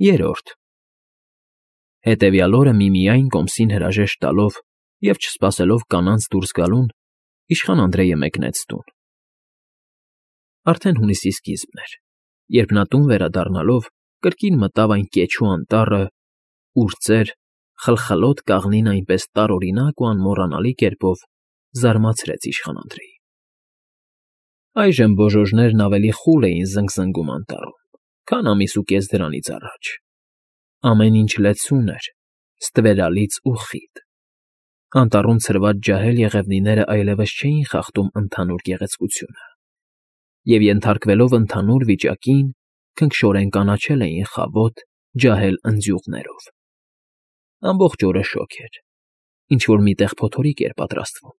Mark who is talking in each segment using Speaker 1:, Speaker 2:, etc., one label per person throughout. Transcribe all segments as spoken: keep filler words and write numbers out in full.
Speaker 1: Երրորդ Հետևյալ օրը միմիայն կոմսին հրաժեշտ տալով և չսպասելով կանանց դուրս գալուն, իշխան Անդրեյը մեկնեց տուն. Արդեն հունիսի սկիզբն էր, երբ նա տուն վերադառնալով կրկին մտավ այն կեչու անտառը, ուր ծեր, խլխլոտ կաղնին այնպես տարօրինակ ու անմոռանալի կերպով զարմացրեց իշխան Անդրեյին։ Այժմ բոժոժներն ավելի խուլ էին զնգզնգում անտառում, քան ամիս ու կես դրանից առաջ. ամեն ինչ լեցուն էր, ստվերալից ու խիտ։ Անտառում ցրված ջահել եղևնիներն այլևս չէին խախտում ընդհանուր գեղեցկությունը, և ենթարկվելով ընդհանուր վիճակին, քնքշորեն կանաչել էին խավոտ, ջահել ընձյուղներով։ Ամբողջ օրը շոգ էր, ինչ֊որ մի տեղ փոթորիկ էր պատրաստվում,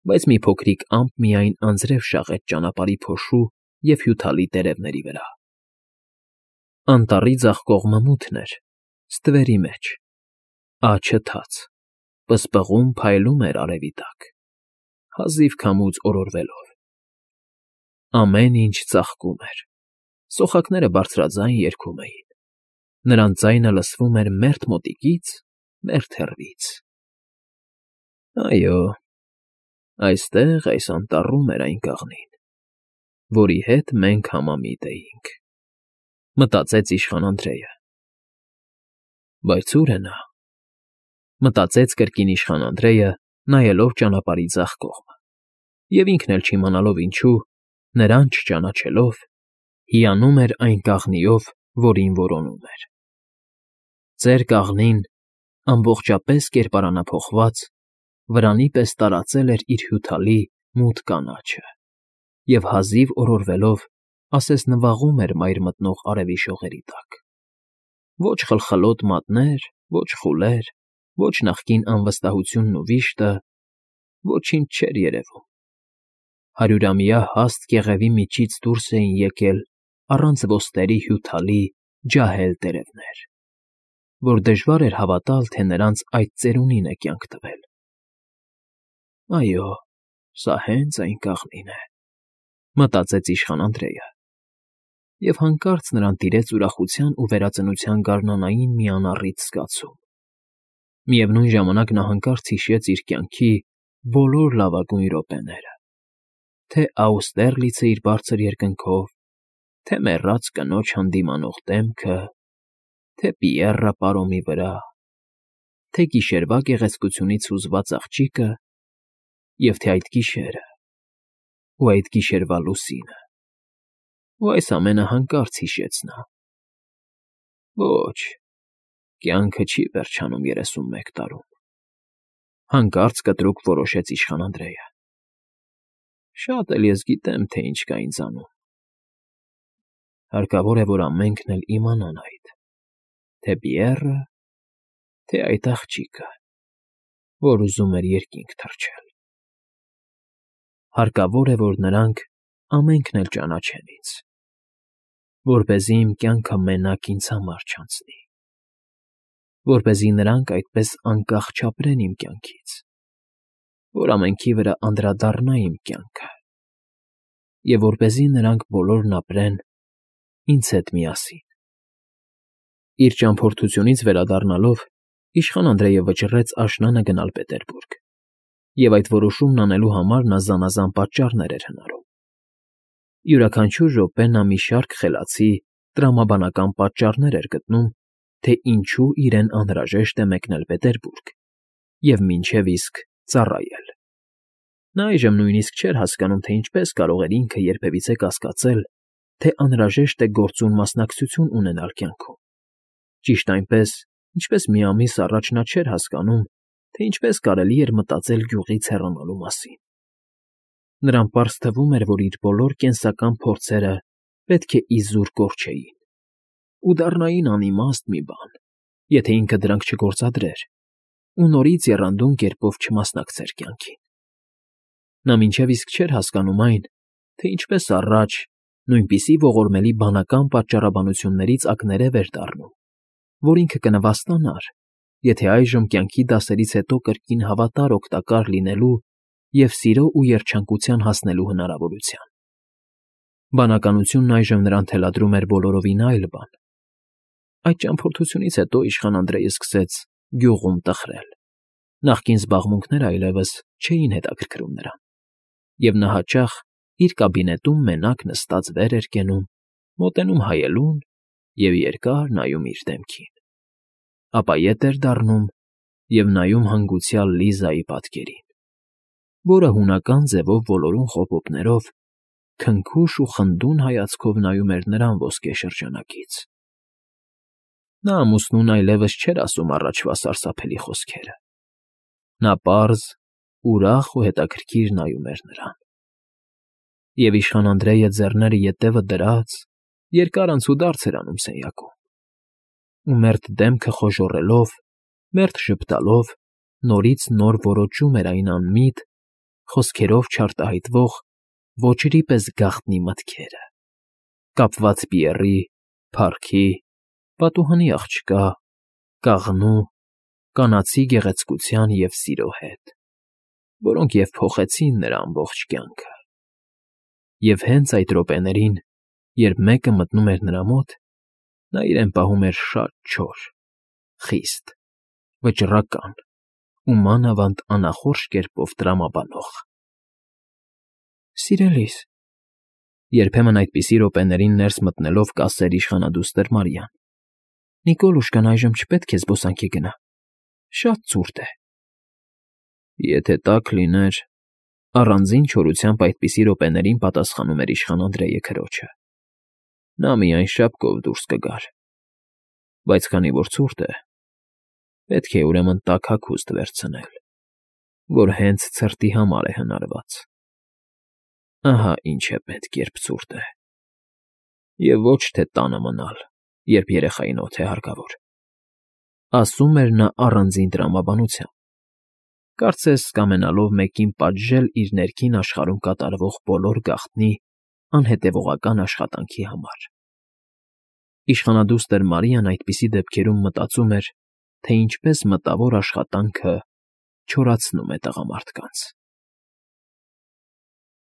Speaker 1: բայց մի փոքրիկ ամպ միայն անձրև շաղեց ճանապարհի փոշու և հյութալի տերևների վրա։ Անտառի ձախ կողմը մութն էր, ստվերի մեջ, աջը թաց, պսպղում փայլում էր արևի տակ, հազիվ քամուց օրորվելով։ Ամեն ինչ ծաղկում էր, սոխակները բարձրաձայն երգում էին, նրանց ձայնը լսվում էր մերթ մոտիկից, մերթ հեռվից։ Այո, այստեղ, այս անտառում էր այն կաղնին, որի հետ մենք համամիտ էինք, մտածեց իշխան Անդրեյը։ Բայց ո՞ւր է նա, մտածեց կրկին իշխան Անդրեյը, նայելով ճանապարհի ձախ կողմը, և ինքն էլ չիմանալով ինչու, նրան չճանաչելով, հիանում էր այն կաղնիով, որին որոնում էր։ Ծեր կաղնին, ամբողջապես կերպարանափոխված, վրանի պես տարածել էր իր հյութալի, մութ կանաչը և հազիվ օրորվելով, ասես նվաղում էր մայր մտնող արևի շողերի տակ։ Ոչ խլխլոտ մատներ, ոչ խուլեր, ոչ նախկին անվստահությունն ու վիշտը, ոչինչ չէր երևում։ Հարյուրամյա հաստ կեղևի միջից դուրս էին եկել առանց ոսկերի հյութալի, ջահել տերևներ, որ դժվար էր հավատալ, թե նրանց այդ ծերունին է կյանք տվել։ Այո, սա հենց այն կաղնին է, մտածեց իշխան Անդրեյը, և հանկարծ նրան տիրեց ուրախության ու վերածնության գարնանային մի անառիթ զգացում։ Միևնույն ժամանակ նա հանկարծ հիշեց իր կյանքի բոլոր լավագույն րոպեները, թե Աուստերլիցը իր բարձր երկնքով, թե մեռած կնոջ հանդիմանող դեմքը, թե Պիեռը պարոմի վրա, թե գիշերվա գեղեցկությունից հուզված աղջիկը և թե այդ գիշերը ու այդ գիշերվա լուսինը, ու այս ամենը հանկարծ հիշեց նա։ Ոչ, կյանքը չի վերջանում երեսունմեկ տարում, հանկարծ կտրուկ որոշեց իշխան Անդրեյը։ Շատ էլ ես գիտեմ, թե ինչ կա ինձանում։ Հարկավոր է, որ ամենքն էլ իմանան այդ, թե Պիեռը, թե այդ աղջիկը, որ ուզում էր երկինք թռչել։ Հարկավոր է, որ նրանք ամենքն էլ ճանաչեն ինձ, որպեսզի իմ կյանքը մենակ ինձ համար չանցնի, որպեսզի նրանք այդպես անկախ չապրեն իմ կյանքից, որ ամենքի վրա անդրադառնա իմ կյանքը, և որպեսզի նրանք բոլորն ապրեն ինձ հետ միասին։ Իր ճամփորդությունից վերադառնալով, իշխան Անդրեյը վճռեց աշնանը գնալ Պետերբուրգ, և այդ որոշումն անելու համար նա զանազան պատճառներ էր հնարում։ Յուրաքանչյուր րոպե նա մի շարք խելացի, տրամաբանական պատճառներ էր գտնում, թե ինչու իրեն անհրաժեշտ է մեկնել Պետերբուրգ և մինչև իսկ ծառայել։ Նա այժմ նույնիսկ չէր հասկանում, թե ինչպես կարող էր ինքը երբևիցե կասկածել, թե անհրաժեշտ է գործուն մասնակցություն ունենալ կյանքում։ Ճիշտ այնպես, ինչպես մի ամիս առաջ նա չէր հասկանում, թե ինչպես կարելի էր մտածել գյուղից հեռանալու մասին։ Նրան պարզ թվում էր, որ իր բոլոր կենսական փորձերը պետք է իզուր կորչեին ու դառնային անիմաստ մի բան, եթե ինքը դրանք չգործադրեր ու նորից եռանդուն կերպով չմասնակցեր կյանքին։ Նա մինչև իսկ չէր հասկանում այն, թե ինչպես առաջ, նույնպիսի ողորմելի բանական պատճառաբանություններից ակներև էր դառնում, որ ինքը կնվաստանար, եթե այժմ կյանքի դասերից հետո կրկին հավատար օգտակար լինելու և սիրո ու երջանկության հասնելու հնարավորության։ Բանականությունն այժմ նրան թելադրում էր բոլորովին այլ բան։ Այդ ճամփորդությունից հետո իշխան Անդրեյը սկսեց գյուղում տխրել. նախկին զբաղմունքները այլևս չէին հետաքրքրում նրան, և նա հաճախ իր կաբինետում մենակ նստած վեր էր կենում, մոտենում հայելուն և երկար նայում իր դեմքին, ապա ետ էր դառնում և նայում հանգուցյալ Լիզայի պատկերին, որը հունական ձևով ոլորուն խոպոպներով, քնքուշ ու խնդուն հայացքով նայում էր նրան ոսկե շրջանակից։ Նա ամուսնուն այլևս չէր ասում առաջվա սարսափելի խոսքերը. նա պարզ, ուրախ ու հետաքրքիր նայում էր նրան։ Եվ իշխան Անդրեյը ձեռները ետևը դրած, երկար անցուդարձ էր անում սենյակում, ու մերթ դեմքը խոժոռելով, մերթ ժպտալով նորից նոր որոջում էր այն անմիտ, խոսքերով չարտահայտվող ոճրի պես գաղտնի մտքերը՝ կապված Պիեռի, փառքի, պատուհանի աղջկա, կաղնու, կանացի գեղեցկության և սիրո հետ, որոնք և փոխեցին նրա ամբողջ կյանքը։ Եվ հենց այդ րոպեներին, երբ մեկը մտնում էր նրա մոտ, նա իրեն պահում էր շատ չոր, խիստ, վճռական ու մանավանդ անախորժ կերպով տրամաբանող։ ֊ Սիրելիս,֊ երբեմն այդպիսի րոպեներին ներս մտնելով կասեր իշխանադուստր Մարիան,֊ Նիկոլուշկան այժմ չպետք է զբոսանքի գնա, շատ ցուրտ է։ ֊ Եթե տաք լիներ,֊ առանձին չորությամբ այդպիսի րոպեներին պատասխանում էր իշխան Անդրեյը քրոջը,֊ նա միայն շապկով դուրս կգար, բայց քանի որ ցուրտ է, պետք է ուրեմն տաք հագուստ վերցնել, որ հենց ցրտի համար է հնարված։ Ահա ինչ է պետք, երբ ցուրտ է, և ոչ թե տանը մնալ, երբ երեխային օդ է հարկավոր,֊ ասում էր նա առանձին տրամաբանությամբ, կարծես կամենալով մեկին պատժել իր ներքին աշխարհում կատարվող բոլոր գաղտնի անհետևողական աշխատանքի համար։ Իշխանադուստր Մարիան այդպիսի դեպքերում մտածում էր, թե ինչպես մտավոր աշխատանքը չորացնում է տղամարդկանց։